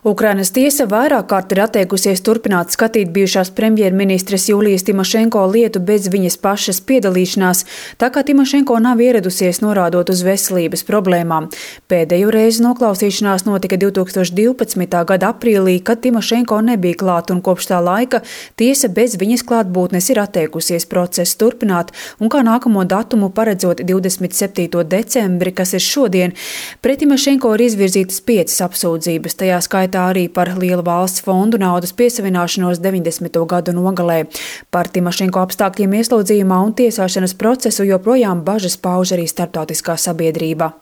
Ukrainas tiesa vairāk kārt ir atteikusies turpināt skatīt bijušās premjerministres Julijas Timošenko lietu bez viņas pašas piedalīšanās, tā kā Timošenko nav ieradusies norādot uz veselības problēmām. Pēdējo reizi noklausīšanās notika 2012. gada aprīlī, kad Timošenko nebija klāt, un kopš tā laika tiesa bez viņas klātbūtnes ir atteikusies procesu turpināt, un kā nākamo datumu paredzot 27. decembri, kas ir šodien. Pret Timošenko ir izvirzītas 5 apsūdzības, tajā skaitā arī par lielu valsts fondu naudas piesavināšanos 90. gadu nogalē. Par Timošenko apstākļiem ieslodzījumā un tiesāšanas procesu joprojām bažas pauž arī starptautiskā sabiedrība.